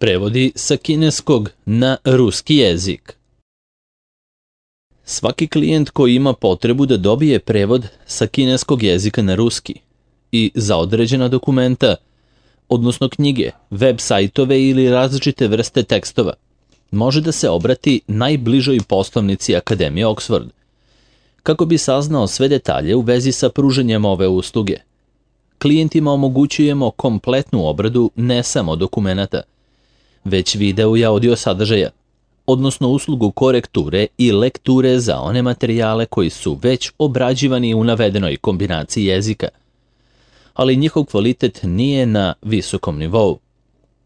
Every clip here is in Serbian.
Prevodi sa kineskog na ruski jezik. Svaki klijent koji ima potrebu da dobije prevod sa kineskog jezika na ruski i za određena dokumenta, odnosno knjige, web sajtove ili različite vrste tekstova, može da se obrati najbližoj poslovnici Akademije Oxford, kako bi saznao sve detalje u vezi sa pruženjem ove usluge. Klijentima omogućujemo kompletnu obradu ne samo dokumenata, već video i audio sadržaja, odnosno uslugu korekture i lekture za one materijale koji su već obrađivani u navedenoj kombinaciji jezika, ali njihov kvalitet nije na visokom nivou.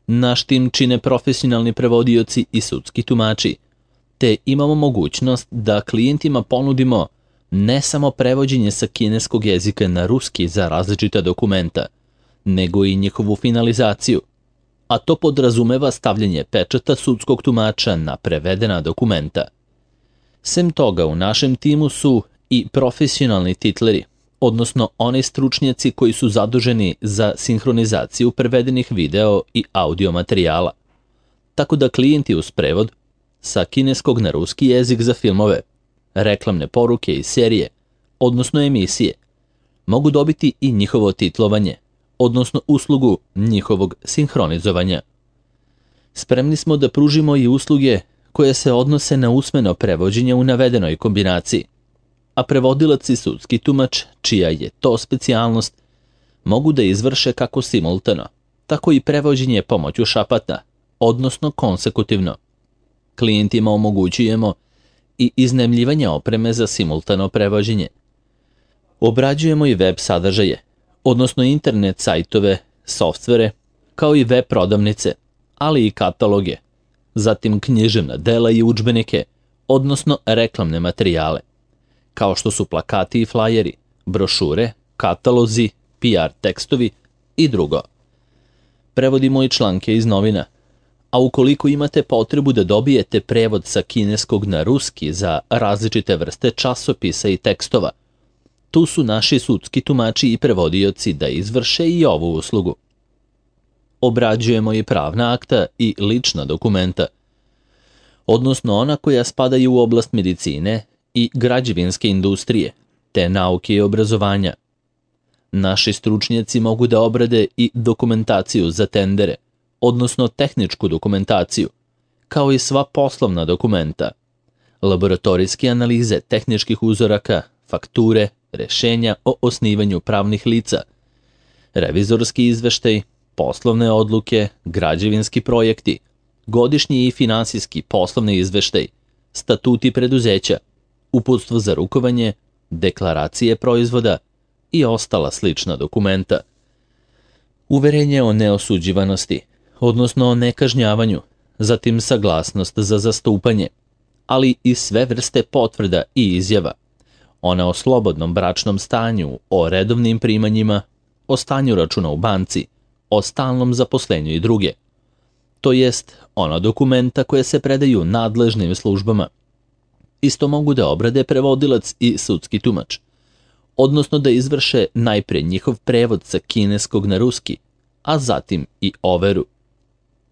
Naš tim čine profesionalni prevodioci i sudski tumači, te imamo mogućnost da klijentima ponudimo ne samo prevođenje sa kineskog jezika na ruski za različita dokumenta, nego i njihovu finalizaciju, a to podrazumeva stavljanje pečata sudskog tumača na prevedena dokumenta. Sem toga, u našem timu su i profesionalni titleri, odnosno oni stručnjaci koji su zaduženi za sinhronizaciju prevedenih video i audio materijala. Tako da klijenti uz prevod sa kineskog na ruski jezik za filmove, reklamne poruke i serije, odnosno emisije, mogu dobiti i njihovo titlovanje, odnosno uslugu njihovog sinhronizovanja. Spremni smo da pružimo i usluge koje se odnose na usmeno prevođenje u navedenoj kombinaciji, a prevodilac i sudski tumač, čija je to specijalnost, mogu da izvrše kako simultano, tako i prevođenje pomoću šapata, odnosno konsekutivno. Klijentima omogućujemo i iznajmljivanje opreme za simultano prevođenje. Obrađujemo i web sadržaje, odnosno internet sajtove, softvere, kao i web prodavnice, ali i kataloge, zatim književna dela i udžbenike, odnosno reklamne materijale, kao što su plakati i flajeri, brošure, katalozi, PR tekstovi i drugo. Prevodimo i članke iz novina, a ukoliko imate potrebu da dobijete prevod sa kineskog na ruski za različite vrste časopisa i tekstova, tu su naši sudski tumači i prevodioci da izvrše i ovu uslugu. Obrađujemo i pravna akta i lična dokumenta, odnosno ona koja spadaju u oblast medicine i građevinske industrije, te nauke i obrazovanja. Naši stručnjaci mogu da obrade i dokumentaciju za tendere, odnosno tehničku dokumentaciju, kao i sva poslovna dokumenta, laboratorijske analize tehničkih uzoraka, fakture, rešenja o osnivanju pravnih lica, revizorski izveštaj, poslovne odluke, građevinski projekti, godišnji i finansijski poslovni izveštaj, statuti preduzeća, uputstvo za rukovanje, deklaracije proizvoda i ostala slična dokumenta. Uverenje o neosuđivanosti, odnosno o nekažnjavanju, zatim saglasnost za zastupanje, ali i sve vrste potvrda i izjava, ona o slobodnom bračnom stanju, o redovnim primanjima, o stanju računa u banci, o stalnom zaposlenju i druge. To jest ona dokumenta koje se predaju nadležnim službama. Isto mogu da obrade prevodilac i sudski tumač, odnosno da izvrše najpre njihov prevod sa kineskog na ruski, a zatim i overu.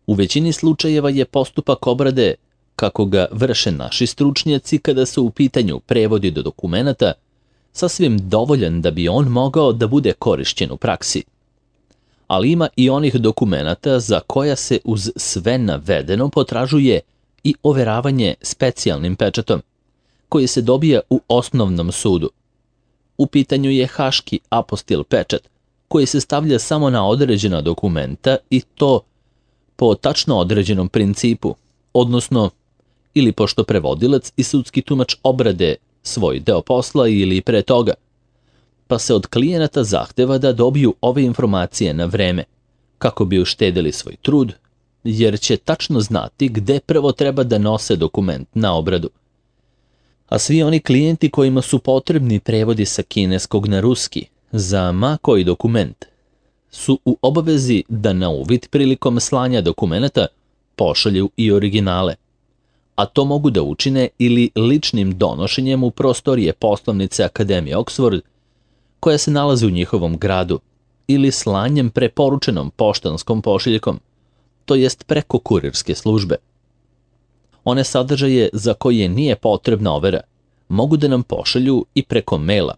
U većini slučajeva je postupak obrade, kako ga vrše naši stručnjaci kada su u pitanju prevodi do dokumenata, sasvim dovoljan da bi on mogao da bude korišćen u praksi. Ali ima i onih dokumenata za koja se uz sve navedeno potražuje i overavanje specijalnim pečatom, koji se dobija u osnovnom sudu. U pitanju je haški apostil pečat, koji se stavlja samo na određena dokumenta i to po tačno određenom principu, odnosno ili pošto prevodilac i sudski tumač obrade svoj deo posla ili pre toga, pa se od klijenata zahteva da dobiju ove informacije na vreme, kako bi uštedili svoj trud, jer će tačno znati gde prvo treba da nose dokument na obradu. A svi oni klijenti kojima su potrebni prevodi sa kineskog na ruski za ma koji dokument, su u obavezi da na uvid prilikom slanja dokumenata pošalju i originale, a to mogu da učine ili ličnim donošenjem u prostorije poslovnice Akademije Oxford, koja se nalazi u njihovom gradu, ili slanjem preporučenom poštanskom pošiljkom, to jest preko kurirske službe. One sadržaje za koje nije potrebna overa mogu da nam pošalju i preko maila,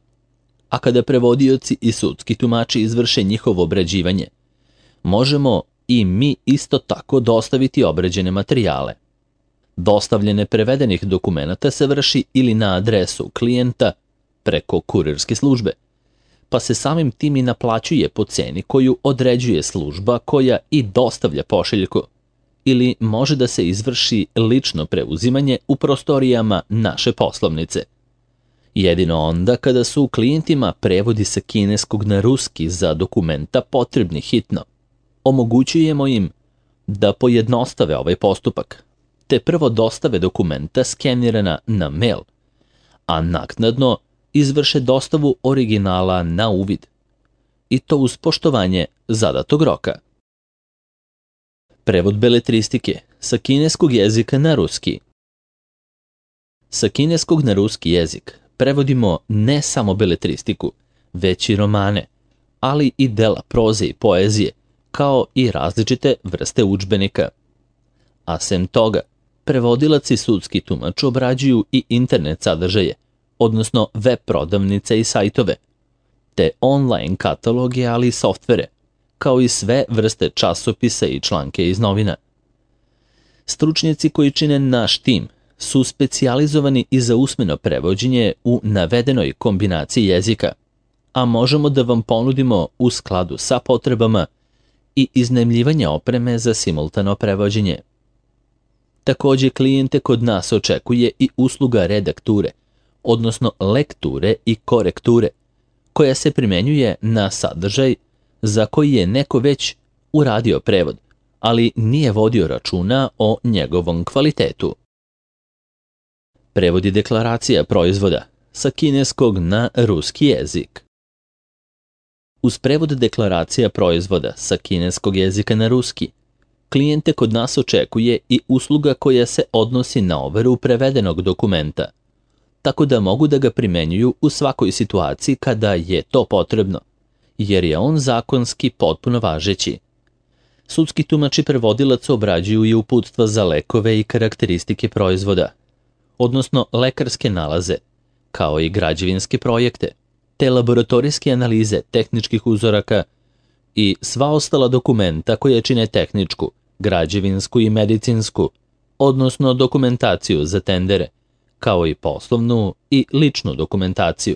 a kada prevodioci i sudski tumači izvrše njihovo obrađivanje, možemo i mi isto tako dostaviti obrađene materijale. Dostavljene prevedenih dokumenata se vrši ili na adresu klijenta preko kurirske službe, pa se samim tim i naplaćuje po ceni koju određuje služba koja i dostavlja pošiljku, ili može da se izvrši lično preuzimanje u prostorijama naše poslovnice. Jedino onda kada su klijentima prevodi sa kineskog na ruski za dokumenta potrebni hitno, omogućujemo im da pojednostave ovaj postupak, te prvo dostave dokumenta skenirana na mail, a naknadno izvrše dostavu originala na uvid, i to uz poštovanje zadatog roka. Prevod beletristike sa kineskog jezika na ruski. Sa kineskog na ruski jezik prevodimo ne samo beletristiku, već i romane, ali i dela proze i poezije, kao i različite vrste udžbenika. A sem toga, prevodilac i sudski tumač obrađuju i internet sadržaje, odnosno web prodavnice i sajtove, te online kataloge, ali i softvere, kao i sve vrste časopisa i članke iz novina. Stručnjaci koji čine naš tim su specijalizovani i za usmeno prevođenje u navedenoj kombinaciji jezika, a možemo da vam ponudimo u skladu sa potrebama i iznajmljivanje opreme za simultano prevođenje. Takođe, klijente kod nas očekuje i usluga redakture, odnosno lekture i korekture, koja se primenjuje na sadržaj za koji je neko već uradio prevod, ali nije vodio računa o njegovom kvalitetu. Prevod i deklaracija proizvoda sa kineskog na ruski jezik. Uz prevod deklaracija proizvoda sa kineskog jezika na ruski, klijente kod nas očekuje i usluga koja se odnosi na overu prevedenog dokumenta, tako da mogu da ga primenjuju u svakoj situaciji kada je to potrebno, jer je on zakonski potpuno važeći. Sudski tumač i prevodilac obrađuju i uputstva za lekove i karakteristike proizvoda, odnosno lekarske nalaze, kao i građevinske projekte, te laboratorijske analize tehničkih uzoraka i sva ostala dokumenta koja čine tehničku, građevinsku i medicinsku, odnosno dokumentaciju za tendere, kao i poslovnu i ličnu dokumentaciju.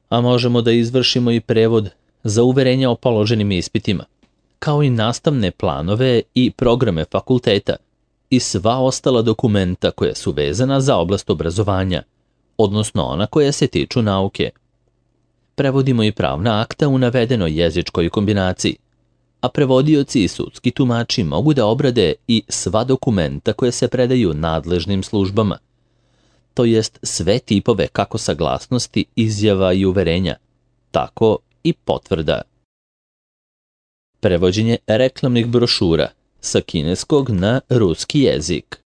A možemo da izvršimo i prevod za uverenja o položenim ispitima, kao i nastavne planove i programe fakulteta i sva ostala dokumenta koja su vezana za oblast obrazovanja, odnosno ona koja se tiču nauke. Prevodimo i pravna akta u navedenoj jezičkoj kombinaciji, a prevodioci i sudski tumači mogu da obrade i sva dokumenta koje se predaju nadležnim službama, to jest sve tipove kako saglasnosti, izjava i uverenja, tako i potvrda. Prevođenje reklamnih brošura sa kineskog na ruski jezik.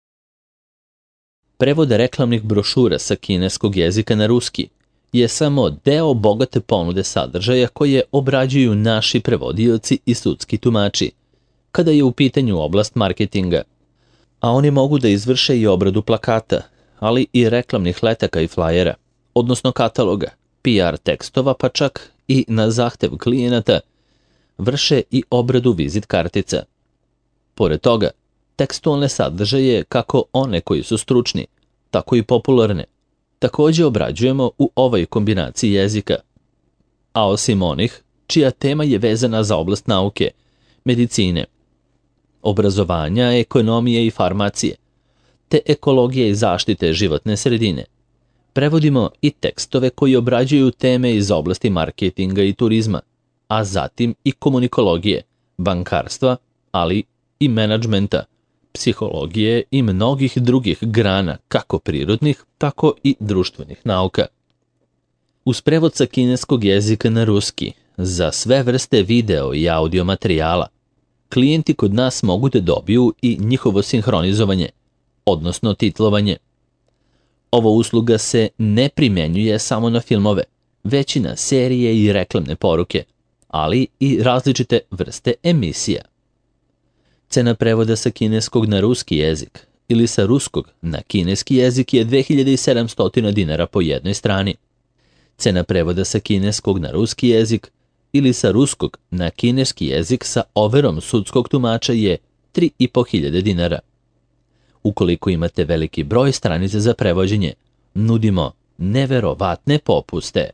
Prevod reklamnih brošura sa kineskog jezika na ruski je samo deo bogate ponude sadržaja koje obrađuju naši prevodioci i sudski tumači, kada je u pitanju oblast marketinga, a oni mogu da izvrše i obradu plakata, ali i reklamnih letaka i flajera, odnosno kataloga, PR tekstova, pa čak i na zahtev klijenata vrše i obradu vizit kartica. Pored toga, tekstualne sadržaje, kako one koji su stručni, tako i popularne, takođe obrađujemo u ovoj kombinaciji jezika. A osim onih, čija tema je vezana za oblast nauke, medicine, obrazovanja, ekonomije i farmacije, te ekologije i zaštite životne sredine, prevodimo i tekstove koji obrađuju teme iz oblasti marketinga i turizma, a zatim i komunikologije, bankarstva, ali i menadžmenta, psihologije i mnogih drugih grana, kako prirodnih, tako i društvenih nauka. Uz prevod sa kineskog jezika na ruski, za sve vrste video i audio materijala, klijenti kod nas mogu da dobiju i njihovo sinhronizovanje, odnosno titlovanje. Ova usluga se ne primenjuje samo na filmove, već i na serije i reklamne poruke, ali i različite vrste emisija. Cena prevoda sa kineskog na ruski jezik ili sa ruskog na kineski jezik je 2700 dinara po jednoj strani. Cena prevoda sa kineskog na ruski jezik ili sa ruskog na kineski jezik sa overom sudskog tumača je 3500 dinara. Ukoliko imate veliki broj stranica za prevođenje, nudimo neverovatne popuste.